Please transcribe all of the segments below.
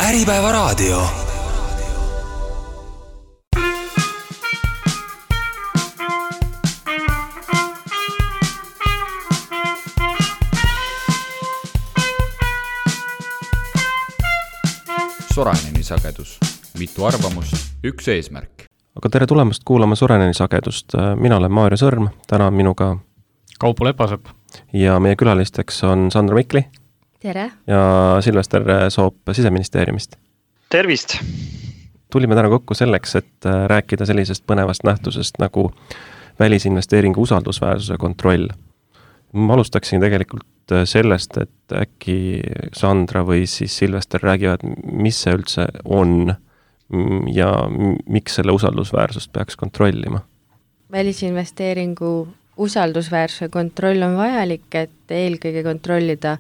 Äripäevaraadio. Soraineni sagedus. Mitu arvamust, üks eesmärk. Aga tere tulemast kuulama Soraineni sagedust. Mina olen Maarja Sõrm, täna on minuga Kaupo Lepasepp. Ja meie külalisteks on Sandra Mikli. Tere. Ja Silvester Soop Siseministeeriumist. Tervist! Tulime täna kokku selleks, et rääkida sellisest põnevast nähtusest nagu välisinvesteeringu usaldusväärsuse kontroll. Ma alustaksin tegelikult sellest, et äkki Sandra või siis Silvester räägivad, mis see üldse on ja miks selle usaldusväärsust peaks kontrollima. Välisinvesteeringu usaldusväärsuse kontroll on vajalik, et eelkõige kontrollida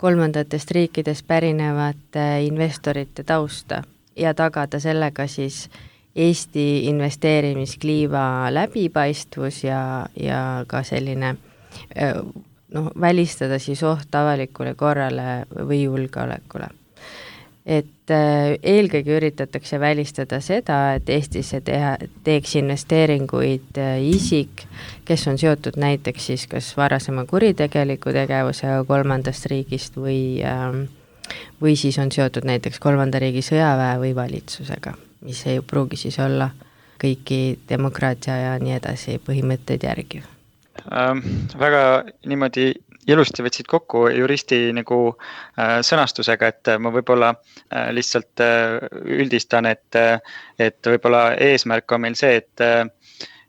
kolmandatest riikidest pärinevate investorite tausta ja tagada sellega siis Eesti investeerimiskliiva läbipaistvus ja ka selline välistada siis oht avalikule korrale või julgeolekule. Et eelkõige üritatakse välistada seda, et Eestisse teeks investeeringuid isik, kes on seotud näiteks siis kas varasema kuritegeliku tegevusega kolmandast riigist või siis on seotud näiteks kolmanda riigi sõjaväe või valitsusega, mis ei pruugi siis olla kõiki demokraatia ja nii edasi põhimõtteid järgiv. Väga niimoodi ilusti võtsid kokku juristi nagu sõnastusega, et ma võib-olla lihtsalt üldistan, et võib-olla eesmärk on meil see,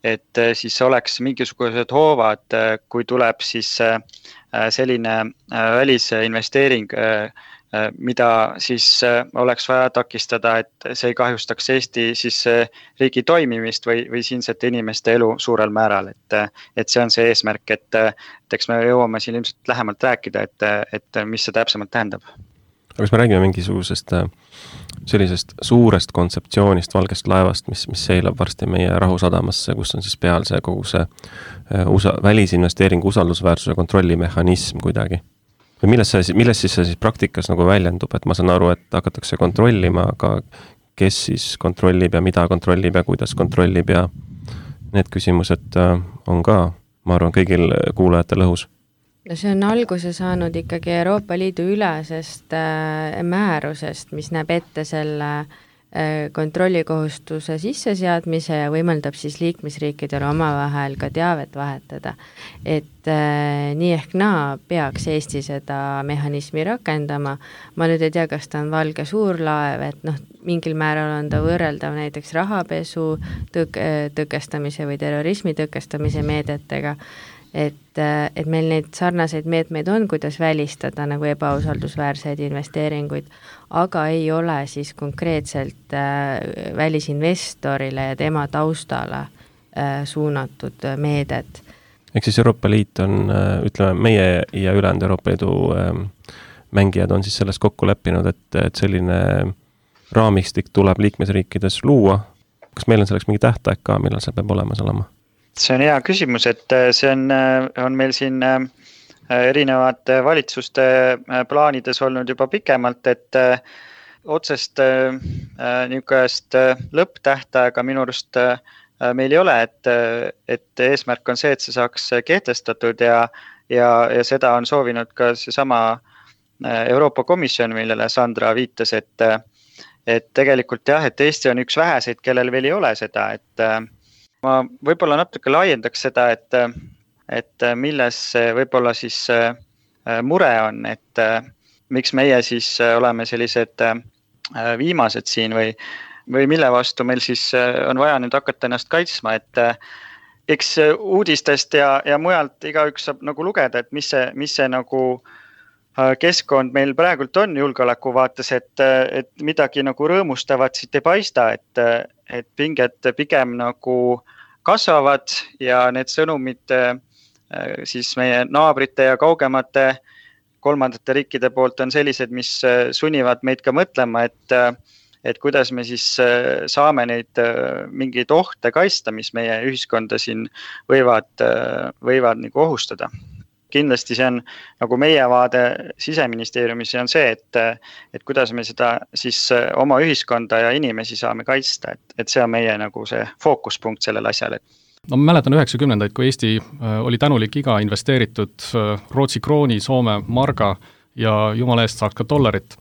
et siis oleks mingisugused hoovad, kui tuleb siis selline välisinvesteering, mida siis oleks vaja takistada, et see ei kahjustaks Eesti siis riigi toimimist või siinsete inimeste elu suurel määral. Et see on see eesmärk, et eks me jõuame siin ilmselt lähemalt rääkida, et mis see täpsemalt tähendab. Aga kas me räägime mingisugusest sellisest suurest kontseptsioonist valgest laevast, mis seilab varsti meie Rahusadamasse, kus on siis peal see kogu see välisinvesteeringu usaldusväärsuse kontrollimehhanism kuidagi? Või milles siis see praktikas nagu väljendub, et ma saan aru, et hakatakse kontrollima, aga kes siis kontrollib ja mida kontrollib ja kuidas kontrollib ja need küsimused on ka, ma arvan, kõigil kuulajatel õhus. No see on alguse saanud ikkagi Euroopa Liidu ülesest määrusest, mis näeb ette selle kontrollikohustuse sisseseadmise ja võimaldab siis liikmesriikidele omavahel ka teavet vahetada. Et nii ehk naa peaks Eesti seda mehhanismi rakendama. Ma nüüd ei tea, kas ta on valge suurlaev, et mingil määral on ta võrreldav näiteks rahapesu tõkestamise või terrorismi tõkestamise meedetega. Et meil neid sarnaseid meetmeid on, kuidas välistada nagu ebausaldusväärseid investeeringuid, aga ei ole siis konkreetselt välisinvestorile ja tema taustale suunatud meedet. Ehk siis Euroopa Liit on, ütleme, meie ja ülejäänud Euroopa Liidu mängijad on siis selles kokku leppinud, et selline raamistik tuleb liikmesriikides luua. Kas meil on selleks mingi tähtaeg ka, millal see peab olemas olema? See on hea küsimus, et see on meil siin erinevate valitsuste plaanides olnud juba pikemalt, et otsest niisugust lõpptähtaega minu arust meil ei ole, et eesmärk on see, et see saaks kehtestatud ja seda on soovinud ka seesama Euroopa Komisjon, millele Sandra viitas, et tegelikult jah, et Eesti on üks väheseid, kellel veel ei ole seda, et ma võib-olla natuke laiendaks seda, et milles võib-olla siis mure on, et miks meie siis oleme sellised viimased siin või mille vastu meil siis on vaja nüüd hakata ennast kaitsma, et eks uudistest ja mujalt igaüks saab nagu lugeda, et mis see nagu keskkond meil praegult on julgeoleku vaates, et midagi nagu rõõmustavat siit ei paista, et pinged pigem nagu kasvavad ja need sõnumid siis meie naabrite ja kaugemate kolmandate riikide poolt on sellised, mis sunnivad meid ka mõtlema, et kuidas me siis saame neid mingeid ohte kaitsta, mis meie ühiskonda siin võivad nagu ohustada. kindlasti see on nagu meie vaade Siseministeeriumis on see, et kuidas me seda siis oma ühiskonda ja inimesi saame kaitsta, et see on meie nagu see fookuspunkt sellel asjal. No ma mäletan 90-ndaid, kui Eesti oli tänulik iga investeeritud Rootsi krooni, Soome marga ja jumala eest saaks ka dollarit.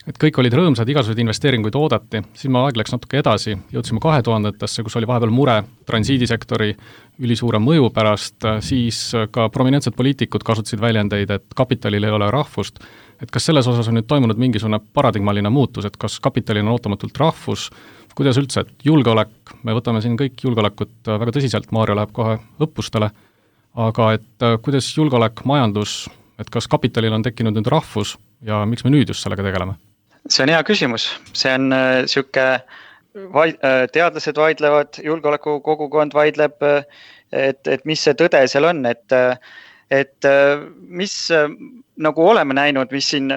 Et kõik olid rõõmsad, igasuguseid investeeringuid oodati, siis aeg läks natuke edasi, jõudsime 2000-ndasse, kus oli vahepeal mure transiidisektori ülisuure mõju pärast, siis ka prominentsed poliitikud kasutasid väljendeid, et kapitalil ei ole rahvust. Et kas selles osas on nüüd toimunud mingisugune paradigmaline muutus, et kas kapitalil on ootamatult rahvus, kuidas üldse, et julgeolek, me võtame siin kõik julgeolekut väga tõsiselt, Maarja läheb kohe õppustele, aga et kuidas julgeolek, majandus, et kas kapitalil on tekkinud nüüd rahvus ja miks me nüüd just sellega tegeleme? See on hea küsimus, see on siuke, teadlased vaidlevad, julgeoleku kogukond vaidleb, et mis see tõde seal on, et mis nagu oleme näinud, mis siin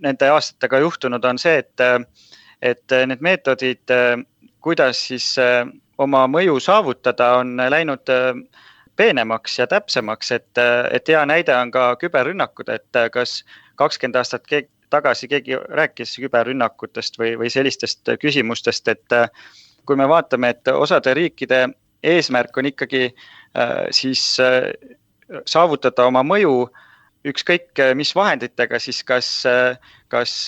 nende aastatega juhtunud on see, et need meetodid, kuidas siis oma mõju saavutada, on läinud peenemaks ja täpsemaks, et hea näide on ka küberrünnakud, et kas 20 aastat tagasi keegi rääkis küberrünnakutest või sellistest küsimustest, et kui me vaatame, et osade riikide eesmärk on ikkagi siis saavutada oma mõju ükskõik mis vahenditega, siis kas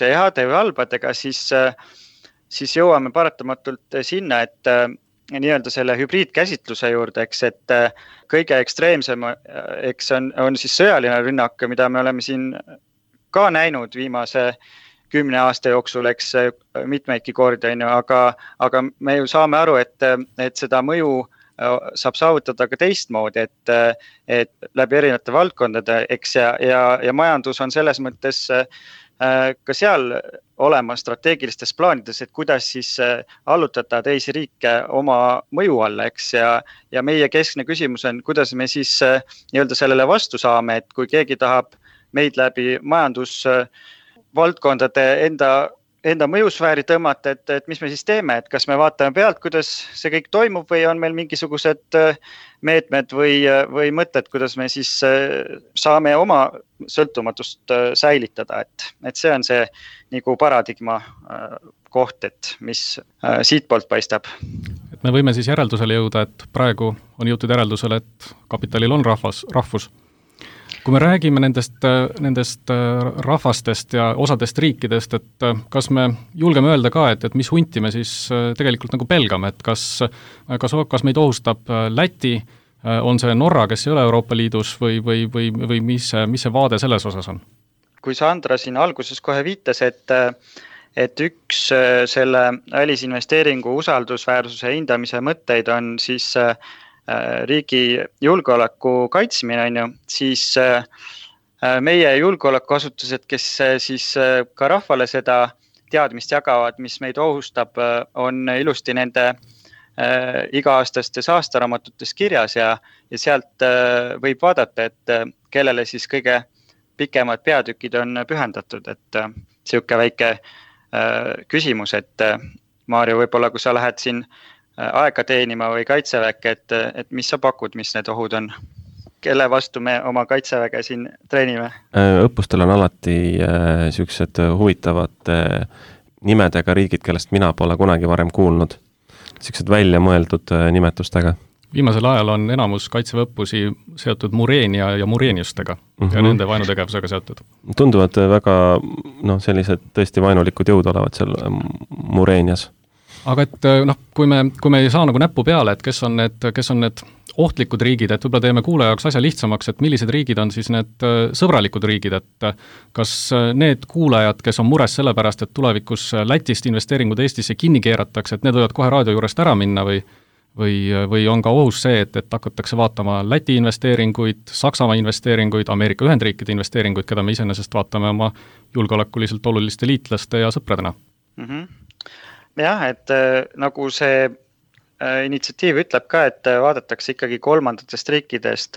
heade või halbadega, siis jõuame paratamatult sinna, et nii-öelda selle hübriidkäsitluse juurde, et kõige ekstreemsem on siis sõjaline rünnak, mida me oleme siin ka näinud viimase 10 aasta jooksul, mitmeidki kordi, aga me ju saame aru, et seda mõju saab saavutada ka teistmoodi, et läbi erinevate valdkondade, ja majandus on selles mõttes ka seal olema strateegilistes plaanides, et kuidas siis allutada teisi riike oma mõju alla, ja meie keskne küsimus on, kuidas me siis nii-öelda sellele vastu saame, et kui keegi tahab meid läbi majandusvaldkondade enda mõjusfääri tõmmata, et mis me siis teeme, et kas me vaatame pealt, kuidas see kõik toimub või on meil mingisugused meetmed või mõtted, kuidas me siis saame oma sõltumatust säilitada, et see on see nagu paradigma koht, et mis siit poolt paistab. Et me võime siis järeldusele jõuda, et praegu on jõutud järeldusele, et kapitalil on rahvus. Kui me räägime nendest rahvastest ja osadest riikidest, et kas me julgeme öelda ka, et mis hunti me siis tegelikult nagu pelgame, et kas meid ohustab Läti, on see Norra, kes ei ole Euroopa Liidus või mis see vaade selles osas on? Kui Sandra siin alguses kohe viitas, et üks selle välisinvesteeringu usaldusväärsuse hindamise mõtteid on siis riigi julgeoleku kaitsmine, on ju, siis meie julgeolekuasutused, kes siis ka rahvale seda teadmist jagavad, mis meid ohustab, on ilusti nende iga-aastastes aastaraamatutes kirjas ja sealt võib vaadata, et kellele siis kõige pikemad peatükid on pühendatud, et siuke väike küsimus, et Maarja, võib-olla kui sa lähed siin aega teenima või kaitseväkke, et mis sa pakud, mis need ohud on? Kelle vastu me oma kaitseväge siin treenime? Õppustel on alati sellised huvitavad nimedega riigid, kellest mina pole kunagi varem kuulnud. Sellised välja mõeldud nimetustega. Viimasel ajal on enamus kaitseväõppusi seotud Mureenia ja Mureeniustega ja nende vaenutegevusega seotud. Tunduvad väga sellised tõesti vaenulikud jõud olevat seal Mureenias. Aga et kui me ei saa nagu näppu peale, et kes on need ohtlikud riigid, et võib-olla teeme kuulaja jaoks asja lihtsamaks, et millised riigid on siis need sõbralikud riigid, et kas need kuulajad, kes on mures selle pärast, et tulevikus Lätist investeeringud Eestisse kinni keeratakse, et need võivad kohe raadio juurest ära minna või on ka ohus see, et hakatakse vaatama Läti investeeringuid, Saksamaa investeeringuid, Ameerika Ühendriikide investeeringuid, keda me iseenesest vaatame oma julgeolekuliselt oluliste liitlaste ja sõpradena? Jah, et nagu see initsiatiiv ütleb ka, et vaadatakse ikkagi kolmandatest riikidest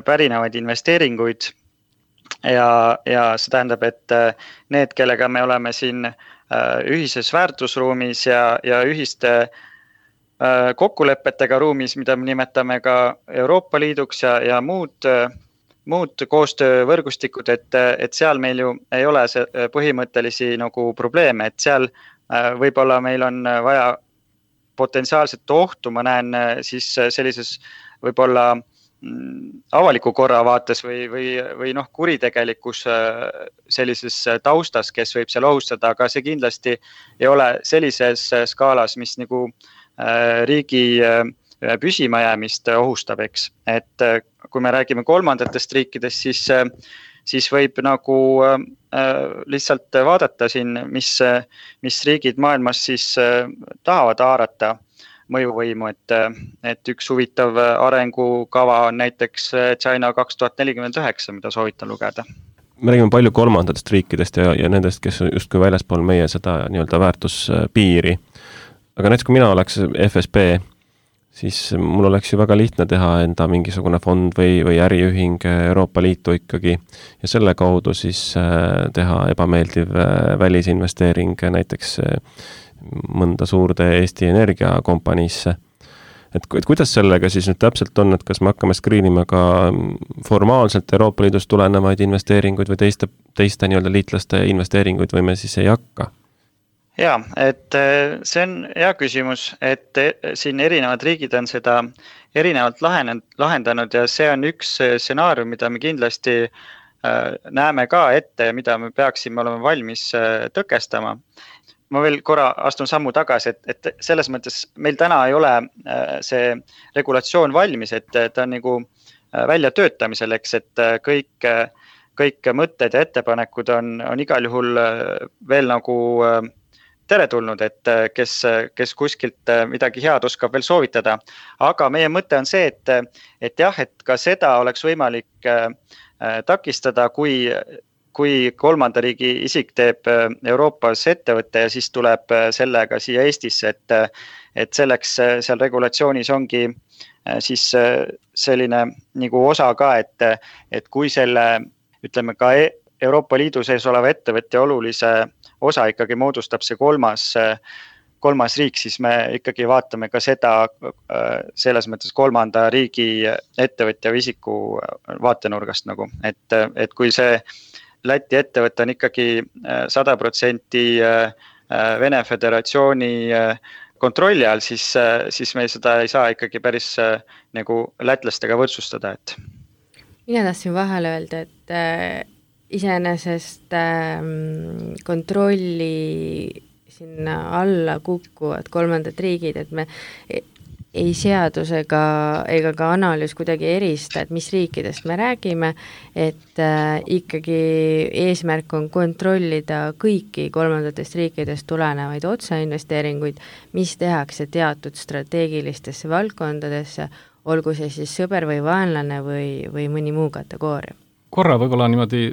pärinevaid investeeringuid ja see tähendab, et need, kellega me oleme siin ühises väärtusruumis ja ühiste kokkulepetega ruumis, mida me nimetame ka Euroopa Liiduks ja muud muud koostöövõrgustikud, et seal meil ju ei ole see põhimõttelisi nagu probleeme, et seal võib-olla meil on vaja potentsiaalset ohtu, ma näen siis sellises võib-olla avaliku korra vaates või kuritegelikus sellises taustas, kes võib seal ohustada, aga see kindlasti ei ole sellises skaalas, mis nagu riigi püsimajäämist ohustab, eks. Et kui me räägime kolmandatest riikidest, siis võib nagu lihtsalt vaadata siin, mis riigid maailmas siis tahavad haarata mõjuvõimu, et üks huvitav arengukava on näiteks China 2049, mida soovitan lugeda. Me räägime palju kolmandatest riikidest ja nendest, kes on justkui väljaspool meie seda nii-öelda väärtuspiiri. Aga näiteks, kui mina oleks FSB, siis mul oleks ju väga lihtne teha enda mingisugune fond või äriühing Euroopa Liitu ikkagi ja selle kaudu siis teha ebameeldiv välisinvesteering näiteks mõnda suurde Eesti energiakompaniisse. Et kuidas sellega siis nüüd täpselt on, et kas me hakkame screenima ka formaalselt Euroopa Liidust tulenevaid investeeringuid või teiste nii-öelda liitlaste investeeringuid või me siis ei hakka? Jaa, et see on hea küsimus, et siin erinevad riigid on seda erinevalt lahendanud ja see on üks stsenaarium, mida me kindlasti näeme ka ette ja mida me peaksime olema valmis tõkestama. Ma veel korra astun sammu tagasi, et selles mõttes meil täna ei ole see regulatsioon valmis, et ta on nagu välja töötamisel, eks, et kõik mõtted ja ettepanekud on igal juhul veel nagu teretulnud, et kes kuskilt midagi head oskab veel soovitada. Aga meie mõte on see, et jah, et ka seda oleks võimalik takistada, kui kolmanda riigi isik teeb Euroopas ettevõtte ja siis tuleb sellega siia Eestisse, et selleks seal regulatsioonis ongi siis selline nagu osa ka, et kui selle, ütleme ka Euroopa Liidu sees oleva ettevõtte olulise osa ikkagi moodustab see kolmas riik, siis me ikkagi vaatame ka seda selles mõttes kolmanda riigi ettevõtja või isiku vaatenurgast nagu, et kui see Läti ettevõte on ikkagi 100% Vene Föderatsiooni kontrolli all, siis me seda ei saa ikkagi päris nagu lätlastega võrdsustada. Mina tahtsin vahele öelda, et iseenesest kontrolli sinna alla kukkuvad kolmandad riigid, et me ei seadus ega ka analüüs kuidagi erista, et mis riikidest me räägime, et ikkagi eesmärk on kontrollida kõiki kolmandatest riikidest tulenevaid otseinvesteeringuid, mis tehakse teatud strateegilistesse valdkondadesse, olgu see siis sõber või vaenlane või mõni muu kategooria. Korra võib-olla niimoodi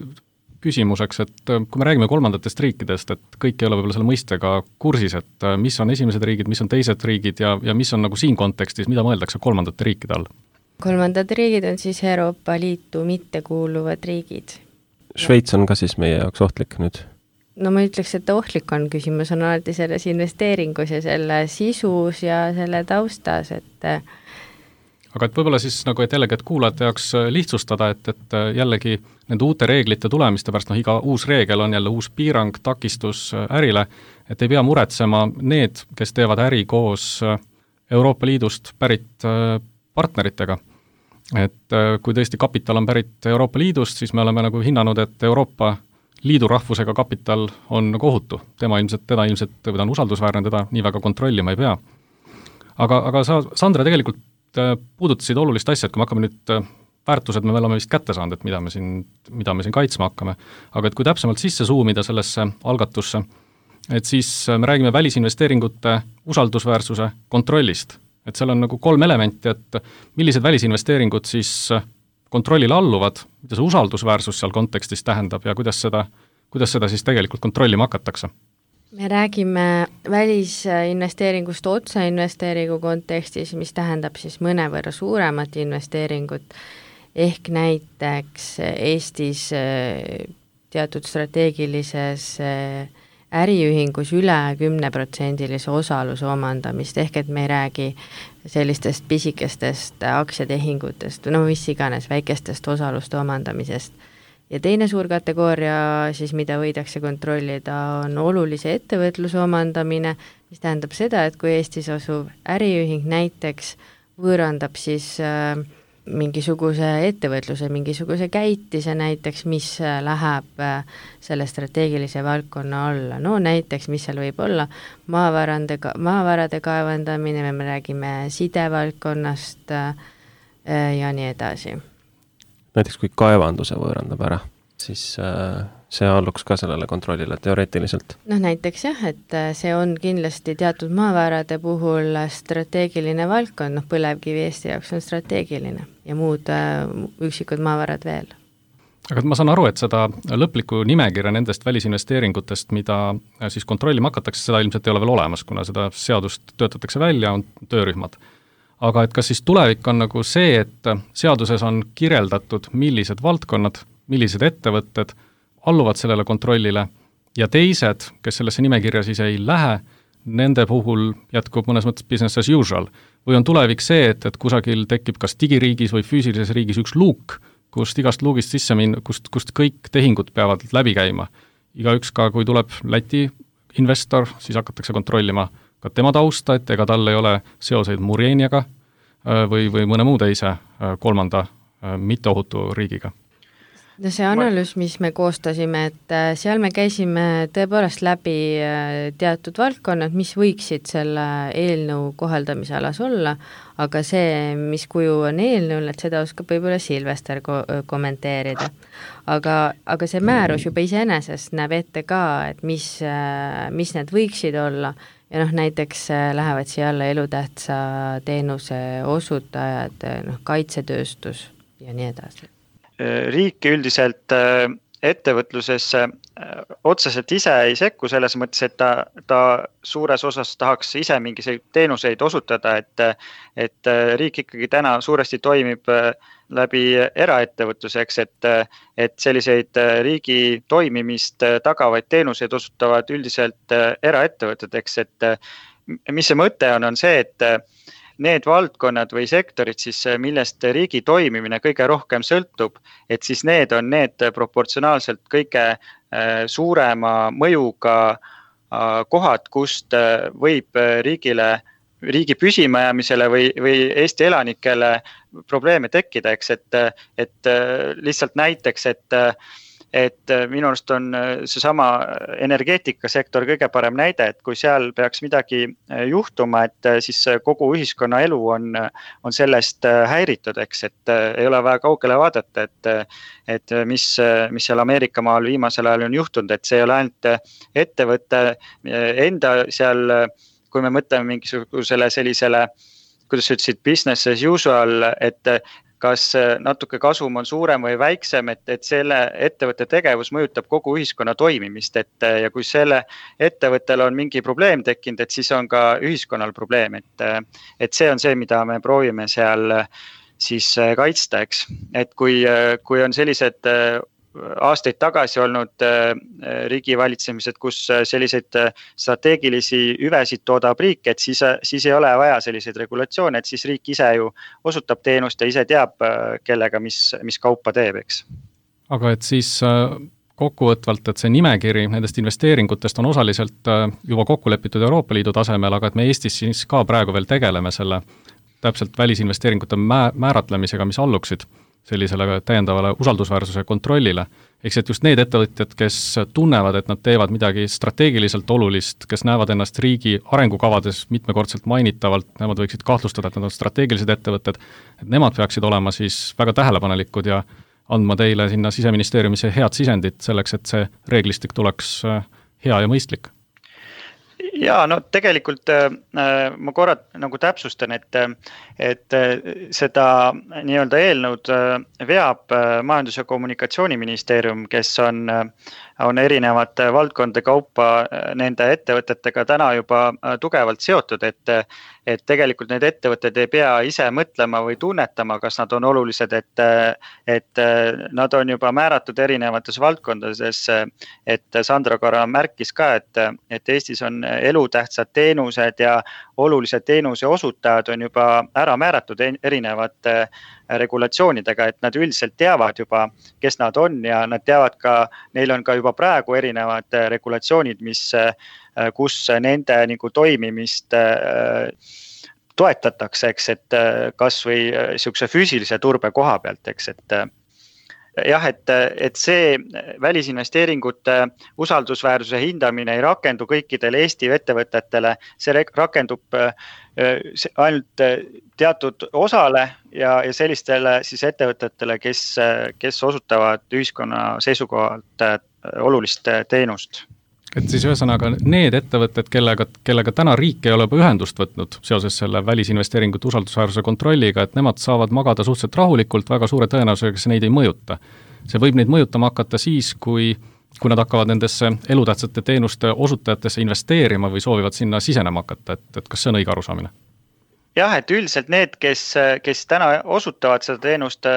küsimuseks, et kui me räägime kolmandatest riikidest, et kõik ei ole võib-olla selle mõistega kursis, et mis on esimesed riigid, mis on teised riigid ja mis on nagu siin kontekstis, mida mõeldakse kolmandate riikide all? Kolmandad riigid on siis Euroopa Liitu mittekuuluvad riigid. Šveits on ka siis meie jaoks ohtlik nüüd? No ma ütleks, et ohtlik on, küsimus on alati selles investeeringus ja selle sisus ja selle taustas, et aga et võib-olla siis nagu, et jällegi, et kuulajate jaoks lihtsustada, et jällegi nende uute reeglite tulemiste pärast, iga uus reegel on jälle uus piirang, takistus ärile, et ei pea muretsema need, kes teevad äri koos Euroopa Liidust pärit partneritega. Et kui tõesti kapital on pärit Euroopa Liidust, siis me oleme nagu hinnanud, et Euroopa Liidu rahvusega kapital on nagu ohutu. Teda ilmselt on usaldusväärne, teda nii väga kontrollima ei pea. Aga sa, Sandra, tegelikult puudutasid olulist asja, et kui me hakkame nüüd väärtused, me oleme vist kätte saanud, et mida me siin kaitsma hakkame. Aga et kui täpsemalt sisse suumida sellesse algatusse, et siis me räägime välisinvesteeringute usaldusväärsuse kontrollist. Et seal on nagu 3 elementi, et millised välisinvesteeringud siis kontrollile alluvad, mida see usaldusväärsus seal kontekstis tähendab ja kuidas seda siis tegelikult kontrollima hakatakse. Me räägime välisinvesteeringust otseinvesteeringu kontekstis, mis tähendab siis mõnevõrra suuremat investeeringut, ehk näiteks Eestis teatud strateegilises äriühingus üle 10% osaluse omandamist, ehk et me ei räägi sellistest pisikestest aktsiatehingutest, no mis iganes, väikestest osaluste omandamisest. Ja teine suur kategooria siis, mida võidakse kontrollida, on olulise ettevõtluse omandamine, mis tähendab seda, et kui Eestis asuv äriühing näiteks võõrandab siis mingisuguse ettevõtluse, mingisuguse käitise näiteks, mis läheb selle strateegilise valdkonna alla. No näiteks, mis seal võib olla, maavarade kaevandamine, me räägime sidevaldkonnast ja nii edasi. Näiteks kui kaevanduse võõrandab ära, siis see alluks ka sellele kontrollile teoreetiliselt. No näiteks jah, et see on kindlasti teatud maavarade puhul strateegiline valdkond, põlevkivi Eesti jaoks on strateegiline ja muud üksikud maavarad veel. Aga ma saan aru, et seda lõplikku nimekirja nendest välisinvesteeringutest, mida siis kontrollima hakatakse, seda ilmselt ei ole veel olemas, kuna seda seadust töötatakse välja, on töörühmad. Aga et kas siis tulevik on nagu see, et seaduses on kirjeldatud, millised valdkonnad, millised ettevõtted alluvad sellele kontrollile ja teised, kes sellesse nimekirja siis ei lähe, nende puhul jätkub mõnes mõttes business as usual. Või on tulevik see, et kusagil tekib kas digiriigis või füüsilises riigis üks luuk, kust igast luugist sisse minna, kust kõik tehingud peavad läbi käima. Igaüks ka, kui tuleb Läti investor, siis hakatakse kontrollima ka tema tausta, et ega tal ei ole seoseid Murjeniaga või mõne muu teise kolmanda mitteohutu riigiga. No see analüüs, mis me koostasime, et seal me käisime tõepoolest läbi teatud valdkonnad, mis võiksid selle eelnõu kohaldamise alas olla, aga see, mis kuju on eelnõul, et seda oskab võib-olla Silvester kommenteerida. Aga see määrus juba iseenesest näeb ette ka, et mis need võiksid olla. Ja näiteks lähevad siia alla elutähtsa teenuse osutajad, kaitsetööstus ja nii edasi. Riik üldiselt ettevõtlusesse otseselt ise ei sekku selles mõttes, et ta suures osas tahaks ise mingiseid teenuseid osutada, et riik ikkagi täna suuresti toimib läbi eraettevõtluseks, et selliseid riigi toimimist tagavaid teenuseid osutavad üldiselt eraettevõteteks, et mis see mõte on see, et need valdkonnad või sektorid, siis, millest riigi toimimine kõige rohkem sõltub, et siis need on need proportsionaalselt kõige suurema mõjuga kohad, kust võib riigi püsimajäämisele või Eesti elanikele probleeme tekkida, eks, et lihtsalt näiteks, et minu arust on seesama energeetikasektor kõige parem näide, et kui seal peaks midagi juhtuma, et siis kogu ühiskonna elu on sellest häiritud, eks, et ei ole väga kaugele vaadata, et mis seal Ameerika maal viimasel ajal on juhtunud, et see ei ole ainult ettevõtte enda seal, kui me mõtleme mingisugusele sellisele, kuidas sa ütlesid, business as usual, et kas natuke kasum on suurem või väiksem, et selle ettevõtte tegevus mõjutab kogu ühiskonna toimimist, ja kui selle ettevõttel on mingi probleem tekkinud, et siis on ka ühiskonnal probleem, et see on see, mida me proovime seal siis kaitsta, eks. Et kui on sellised aastaid tagasi olnud riigivalitsemised, kus selliseid strateegilisi hüvesid toodab riik, et siis ei ole vaja selliseid regulatsioone, et siis riik ise ju osutab teenust ja ise teab, kellega mis kaupa teeb, eks. Aga et siis kokkuvõtvalt, et see nimekiri nendest investeeringutest on osaliselt juba kokku lepitud Euroopa Liidu tasemel, aga et me Eestis siis ka praegu veel tegeleme selle täpselt välisinvesteeringute määratlemisega, mis alluksid sellisele täiendavale usaldusväärsuse kontrollile. Eks et just need ettevõtjad, kes tunnevad, et nad teevad midagi strateegiliselt olulist, kes näevad ennast riigi arengukavades mitmekordselt mainitavalt, nemad võiksid kahtlustada, et nad on strateegilised ettevõtted, et nemad peaksid olema siis väga tähelepanelikud ja andma teile sinna Siseministeeriumisse head sisendit selleks, et see reeglistik tuleks hea ja mõistlik. Ja no tegelikult ma korra nagu täpsustan, et seda nii-öelda eelnõud veab Majandus- ja Kommunikatsiooniministeerium, kes on on erinevate valdkondade kaupa nende ettevõtetega täna juba tugevalt seotud, et tegelikult need ettevõtted ei pea ise mõtlema või tunnetama, kas nad on olulised, et nad on juba määratud erinevates valdkondades, et Sandra korra märkis ka, et Eestis on elutähtsad teenused ja olulised teenuse osutajad on juba ära määratud erinevate regulatsioonidega, et nad üldiselt teavad juba, kes nad on ja nad teavad ka, neil on ka juba praegu erinevad regulatsioonid, kus nende nagu toimimist toetatakse, eks, et kas või siukse füüsilise turbe koha pealt, eks, et jah, et see välisinvesteeringute usaldusväärsuse hindamine ei rakendu kõikidele Eesti ettevõtetele, see rakendub ainult teatud osale ja sellistele siis ettevõtetele, kes osutavad ühiskonna seisukohalt olulist teenust. Et siis ühesõnaga need ettevõtted, kellega täna riik ei ole ühendust võtnud seoses selle välisinvesteeringute usaldusväärsuse kontrolliga, et nemad saavad magada suhteliselt rahulikult, väga suure tõenäosusega see neid ei mõjuta. See võib neid mõjutama hakata siis, kui nad hakkavad nendesse elutähtsate teenuste osutajatesse investeerima või soovivad sinna sisenema hakata, et kas see on õige arusaamine? Jah, et üldiselt need, kes täna osutavad seda teenust,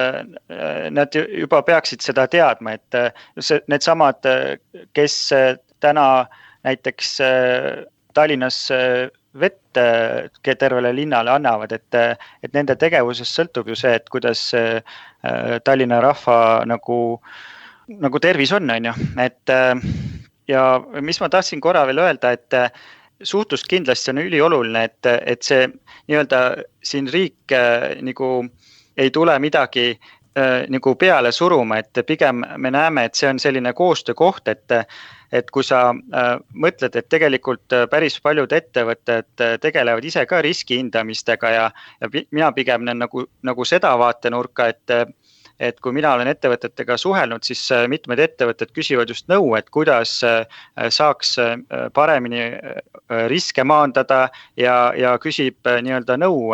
nad juba peaksid seda teadma, et need samad, kes täna näiteks Tallinnas vett tervele linnale annavad, et nende tegevusest sõltub ju see, et kuidas Tallinna rahva nagu tervis on ju. Ja mis ma tahtsin korra veel öelda, et suhtlus kindlasti on ülioluline, et see nii-öelda siin riik nagu ei tule midagi nagu peale suruma, et pigem me näeme, et see on selline koostöökoht, et kui sa mõtled, et tegelikult päris paljud ettevõtted tegelevad ise ka riskihindamistega ja mina pigem nagu seda vaatenurka, et kui mina olen ettevõtetega suhelnud, siis mitmed ettevõtted küsivad just nõu, et kuidas saaks paremini riske maandada ja küsib nii-öelda nõu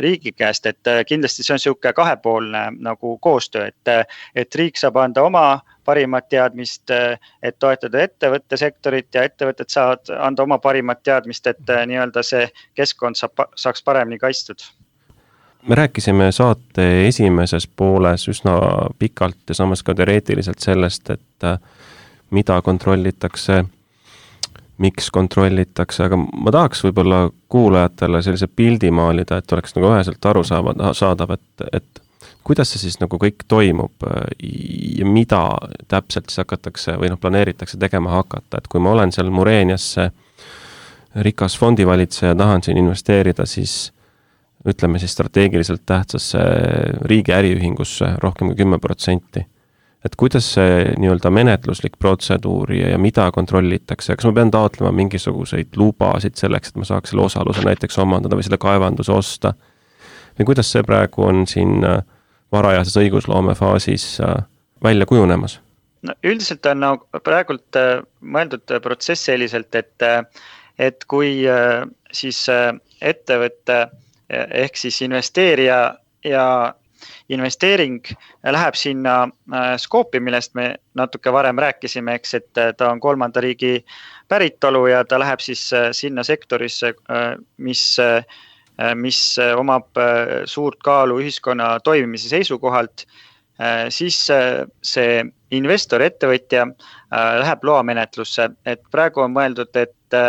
riigi käest, et kindlasti see on siuke kahepoolne nagu koostöö, et riik saab anda oma parimat teadmist, et toetada ettevõttesektorit ja ettevõtted saavad anda oma parimat teadmist, et nii-öelda see keskkond saaks paremini kaitstud. Me rääkisime saate esimeses pooles üsna pikalt ja samas ka teoreetiliselt sellest, et mida kontrollitakse, miks kontrollitakse, aga ma tahaks võib-olla kuulajatele sellise pildi maalida, et oleks nagu üheselt arusaadav, et kuidas see siis nagu kõik toimub ja mida täpselt siis hakatakse või planeeritakse tegema hakata, et kui ma olen seal Mureeniasse rikas fondivalitseja, tahan siin investeerida, siis ütleme siis strateegiliselt tähtsasse riigi äriühingusse rohkem kui 10%. Et kuidas see nii-öelda menetluslik protseduur ja mida kontrollitakse, kas ma pean taotlema mingisuguseid lubasid selleks, et ma saaks selle osaluse näiteks omandada või selle kaevanduse osta? Või kuidas see praegu on siin varajases õigusloome faasis välja kujunemas? No, üldiselt on praegult mõeldud protsess selliselt, et kui siis ettevõtte ehk siis investeerija ja investeering läheb sinna skoopi, millest me natuke varem rääkisime, eks, et ta on kolmanda riigi päritolu ja ta läheb siis sinna sektorisse, mis omab suurt kaalu ühiskonna toimimise seisukohalt, siis see investor, ettevõtja läheb loamenetlusse, et praegu on mõeldud, et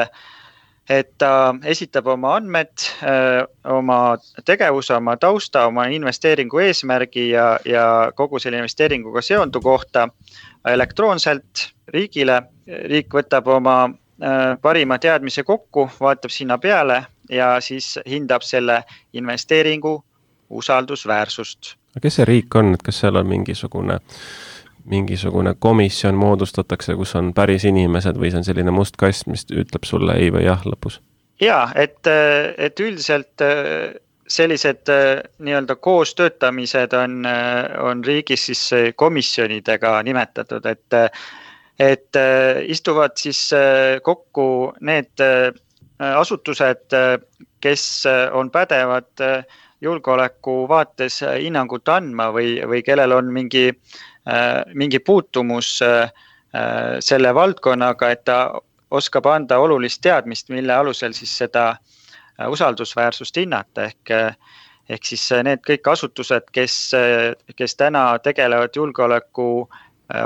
ta esitab oma andmed, oma tegevuse, oma tausta, oma investeeringu eesmärgi ja kogu selle investeeringuga seondu kohta elektroonselt riigile. Riik võtab oma parima teadmise kokku, vaatab sinna peale ja siis hindab selle investeeringu usaldusväärsust. Kes see riik on, et kas seal on mingisugune komisjon moodustatakse, kus on päris inimesed või see on selline must kast, mis ütleb sulle ei või jah lõpus? Jaa, et üldiselt sellised nii-öelda koostöötamised on riigis siis komisjonidega nimetatud, et istuvad siis kokku need asutused, kes on pädevad julgeoleku vaates hinnangut andma või kellel on mingi puutumus selle valdkonnaga, et ta oskab anda olulist teadmist, mille alusel siis seda usaldusväärsust hinnata, ehk siis need kõik asutused, kes täna tegelevad julgeoleku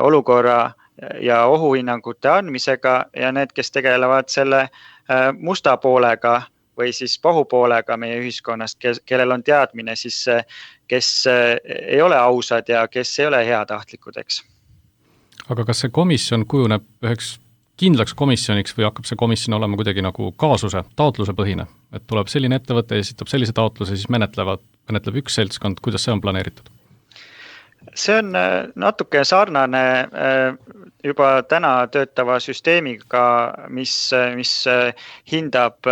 olukorra ja ohuhinnangute andmisega ja need, kes tegelevad selle musta poolega või siis pahupoolega meie ühiskonnast, kellel on teadmine siis, kes ei ole ausad ja kes ei ole heatahtlikud, eks. Aga kas see komisjon kujuneb üheks kindlaks komisjoniks või hakkab see komisjon olema kuidagi nagu kaasuse, taotluse põhine? Et tuleb selline ettevõte ja esitab sellise taotluse, siis menetleb üks seltskond, kuidas see on planeeritud? See on natuke sarnane juba täna töötava süsteemiga, mis hindab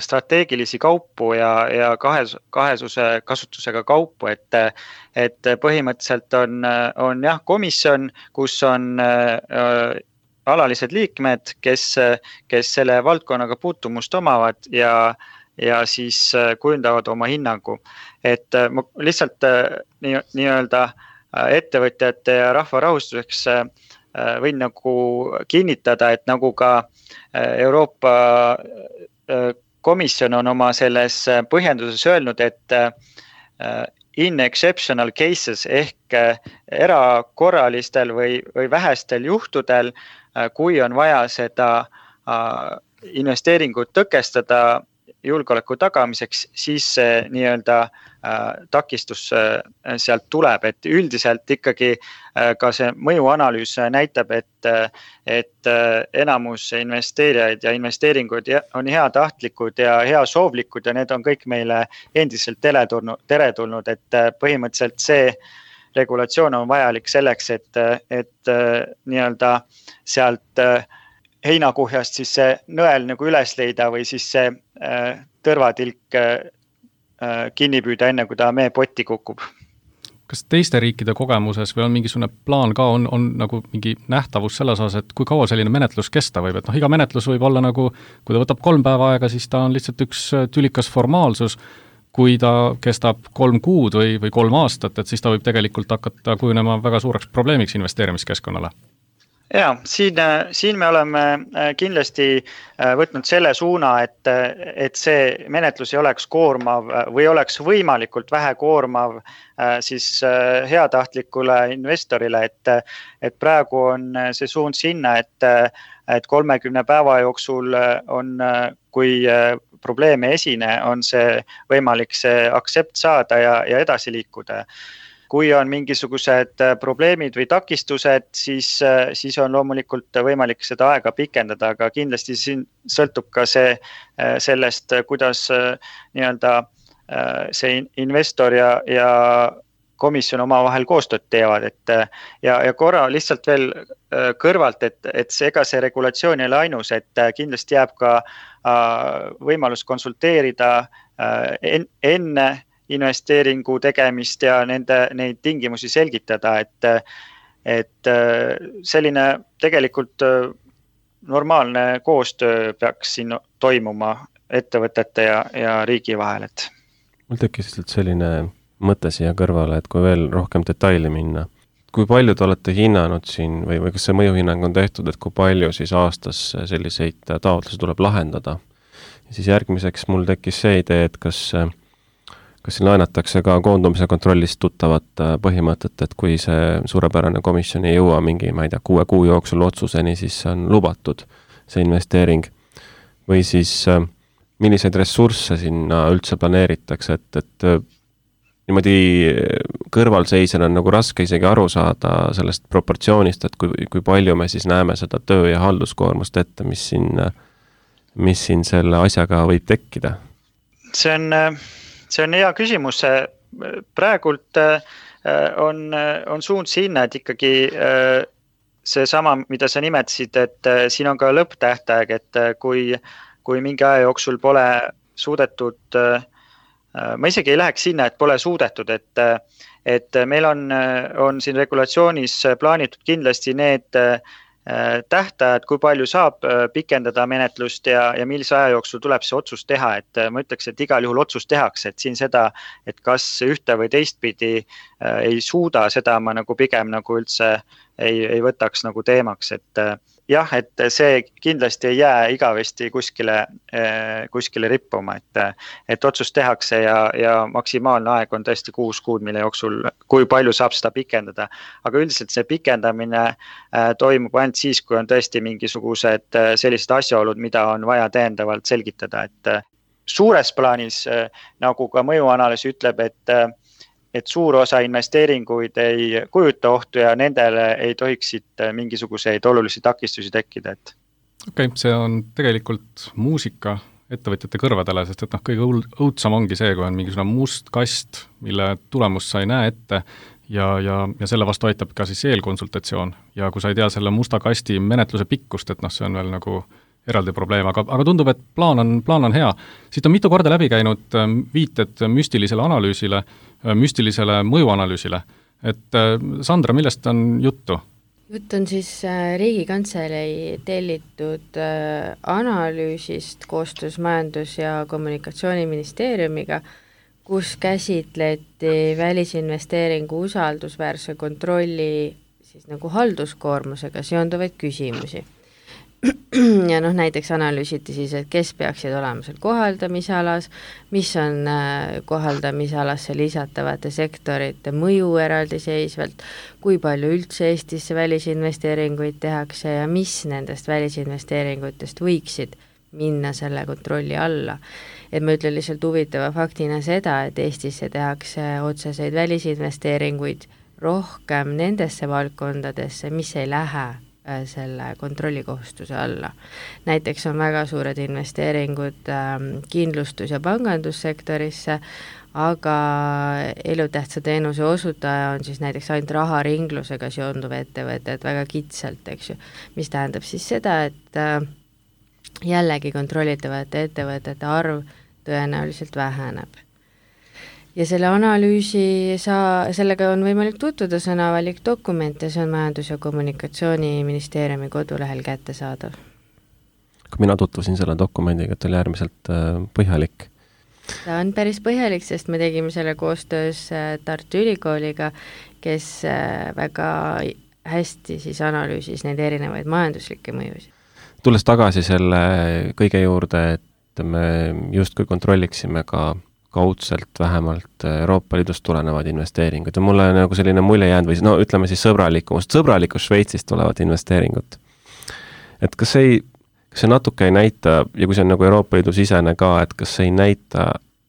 strateegilisi kaupu ja kahesuse kasutusega kaupu, et põhimõtteliselt on jah komisjon, kus on alalised liikmed, kes selle valdkonnaga puutumust omavad ja siis kujundavad oma hinnangu. Et ma lihtsalt nii-öelda ettevõtjate ja rahva rahustuseks võin nagu kinnitada, et nagu ka Euroopa Komisjon on oma selles põhjenduses öelnud, et in exceptional cases ehk erakorralistel või vähestel juhtudel, kui on vaja seda investeeringut tõkestada julgeoleku tagamiseks, siis see nii-öelda takistus sealt tuleb, et üldiselt ikkagi ka see mõjuanalüüs näitab, et enamus investeerijaid ja investeeringud on heatahtlikud ja heasoovlikud ja need on kõik meile endiselt teretulnud, et põhimõtteliselt see regulatsioon on vajalik selleks, et nii-öelda sealt heinakuhjast siis see nõel nagu üles leida või siis see tõrvatilk kinni püüda enne, kui ta meepotti kukub. Kas teiste riikide kogemuses või on mingisugune plaan ka, on nagu mingi nähtavus selles osas, et kui kaua selline menetlus kesta võib, et iga menetlus võib olla nagu, kui ta võtab 3 päeva aega, siis ta on lihtsalt üks tülikas formaalsus, kui ta kestab 3 kuud või 3 aastat, et siis ta võib tegelikult hakata kujunema väga suureks probleemiks investeerimiskeskkonnale. Ja, siin me oleme kindlasti võtnud selle suuna, et see menetlus ei oleks koormav või oleks võimalikult vähe koormav siis heatahtlikule investorile, et praegu on see suund sinna, et 30 päeva jooksul on, kui probleeme esine, on see võimalik see aktsept saada ja edasi liikuda. Kui on mingisugused probleemid või takistused, siis on loomulikult võimalik seda aega pikendada, aga kindlasti siin sõltub ka sellest, kuidas nii-öelda see investor ja komisjon omavahel koostööd teevad, ja korra lihtsalt veel kõrvalt, et ega see regulatsioon ei ole ainus, et kindlasti jääb ka võimalus konsulteerida enne investeeringu tegemist ja neid tingimusi selgitada, et selline tegelikult normaalne koostöö peaks siin toimuma ettevõtete ja riigi vahel. Mul tekkis selline mõte siia kõrvale, et kui veel rohkem detaili minna, kui palju te olete hinnanud siin või kas see mõjuhinnang on tehtud, et kui palju siis aastas selliseid taotlusi tuleb lahendada? Ja siis järgmiseks mul tekkis see idee, et kas siin laenatakse ka koondumise kontrollist tuttavat põhimõtet, et kui see suurepärane komisjon ei jõua mingi, 6 kuu jooksul otsuseni, siis on lubatud see investeering. Või siis milliseid ressursse sinna üldse planeeritakse, et niimoodi kõrvalseisjana on nagu raske isegi aru saada sellest proportsioonist, et kui palju me siis näeme seda töö- ja halduskoormust ette, mis siin selle asjaga võib tekkida? See on hea küsimus. Praegult on suund sinna, et ikkagi see sama, mida sa nimetasid, et siin on ka lõpptähtaeg, et kui mingi aja jooksul pole suudetud, ma isegi ei läheks sinna, et pole suudetud, et meil on siin regulatsioonis plaanitud kindlasti need tähtajad, kui palju saab pikendada menetlust ja millise aja jooksul tuleb see otsus teha, et ma ütleks, et igal juhul otsus tehakse, et siin seda, et kas ühte või teistpidi ei suuda, seda ma nagu pigem nagu üldse ei võtaks nagu teemaks, et jah, et see kindlasti ei jää igavesti kuskile rippuma, et otsus tehakse ja maksimaalne aeg on tõesti 6 kuud, mille jooksul, kui palju saab seda pikendada. Aga üldiselt see pikendamine toimub ainult siis, kui on tõesti mingisugused sellised asjaolud, mida on vaja täiendavalt selgitada, et suures plaanis, nagu ka mõjuanalüüs ütleb, et suur osa investeeringuid ei kujuta ohtu ja nendele ei tohiks siit mingisuguseid olulisi takistusi tekkida. Okei, see on tegelikult muusika ettevõtjate kõrvadele, sest et kõige õudsam ongi see, kui on mingisugune must kast, mille tulemust sa ei näe ette ja selle vastu aitab ka siis eelkonsultatsioon. Ja kui sa ei tea selle musta kasti menetluse pikkust, et see on veel nagu eraldi probleem, aga tundub, et plaan on hea. Siit on mitu korda läbi käinud viited müstilisele analüüsile, müstilisele mõjuanalüüsile. Et Sandra, millest on juttu? Jutt on siis Riigikantselei tellitud analüüsist koostöös Majandus- ja Kommunikatsiooniministeeriumiga, kus käsitleti välisinvesteeringu usaldusväärse kontrolli siis nagu halduskoormusega seonduvaid küsimusi. Ja näiteks analüüsiti siis, et kes peaksid olema seal kohaldamisalas, mis on kohaldamisalasse lisatavate sektorite mõju eraldiseisvalt, kui palju üldse Eestisse välisinvesteeringuid tehakse ja mis nendest välisinvesteeringutest võiksid minna selle kontrolli alla. Et ma ütlen lihtsalt huvitava faktina seda, et Eestisse tehakse otseseid välisinvesteeringuid rohkem nendesse valdkondadesse, mis ei lähe selle kontrollikohustuse alla. Näiteks on väga suured investeeringud kindlustus- ja pangandussektorisse, aga elutähtsa teenuse osutaja on siis näiteks ainult raharinglusega seonduv ettevõte, et väga kitsalt, eks ju, mis tähendab siis seda, et jällegi kontrollitavate ettevõtete arv tõenäoliselt väheneb. Ja selle analüüsi sellega on võimalik tutvuda, see on avalik dokument ja see on Majandus- ja Kommunikatsiooniministeeriumi kodulehel kättesaadav. Kui mina tutvusin selle dokumendiga, et oli äärmiselt põhjalik. Ta on päris põhjalik, sest me tegime selle koostöös Tartu Ülikooliga, kes väga hästi siis analüüsis neid erinevaid majanduslikke mõjusid. Tulles tagasi selle kõige juurde, et me justkui kontrolliksime ka kaudselt vähemalt Euroopa Liidust tulenevad investeeringud ja mulle nagu selline mulje jäänud või ütleme siis sõbralikust Šveitsist tulevad investeeringud. Et kas see natuke ei näita, ja kui see on nagu Euroopa Liidu sisene ka, et kas see ei näita,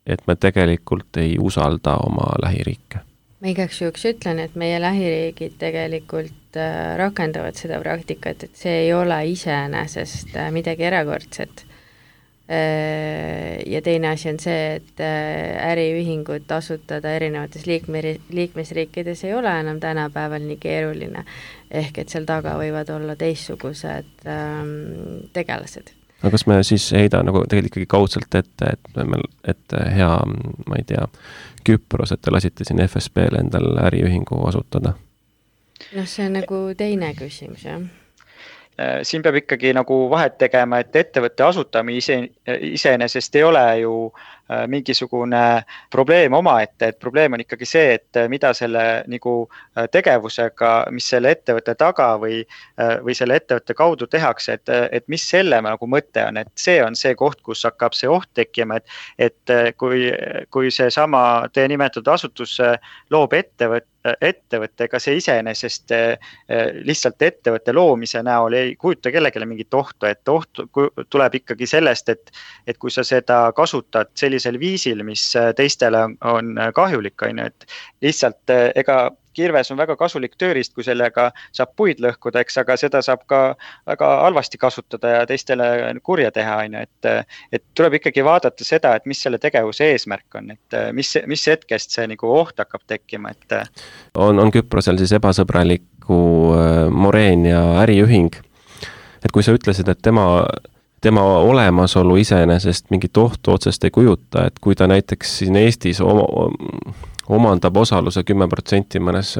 et me tegelikult ei usalda oma lähiriike? Ma igaks juhuks ütlen, et meie lähiriigid tegelikult rakendavad seda praktikat, et see ei ole iseenesest midagi erakordset. Ja teine asi on see, et äriühingud asutada erinevates liikmesriikides ei ole enam tänapäeval nii keeruline, ehk et seal taga võivad olla teistsugused tegelased. Aga kas me siis heida nagu tegelikult ikkagi kaudselt ette, et hea, ma ei tea, Küpros, et te lasite siin FSB-le endal äriühingu asutada? See on nagu teine küsimus, jah. Siin peab ikkagi nagu vahet tegema, et ettevõtte asutamine iseenesest ei ole ju mingisugune probleem omaette, et probleem on ikkagi see, et mida selle nagu tegevusega, mis selle ettevõtte taga või selle ettevõtte kaudu tehakse, et mis selle nagu mõte on, et see on see koht, kus hakkab see oht tekkima, et kui see sama teie nimetatud asutus loob ettevõttega see iseenesest lihtsalt ettevõtte loomise näol ei kujuta kellelegi mingit ohtu, et oht tuleb ikkagi sellest, et kui sa seda kasutad sellisel viisil, mis teistele on kahjulik, et lihtsalt ega kirves on väga kasulik tööriist, kui sellega saab puid lõhkuda, eks, aga seda saab ka väga halvasti kasutada ja teistele kurja teha, et tuleb ikkagi vaadata seda, et mis selle tegevuse eesmärk on, et mis hetkest see nagu oht hakkab tekkima, et on Küprosel siis ebasõbraliku Moreen ja äriühing, et kui sa ütlesid, et tema olemasolu iseenesest mingit ohtu otsest ei kujuta, et kui ta näiteks siin Eestis omandab osaluse 10% mõnes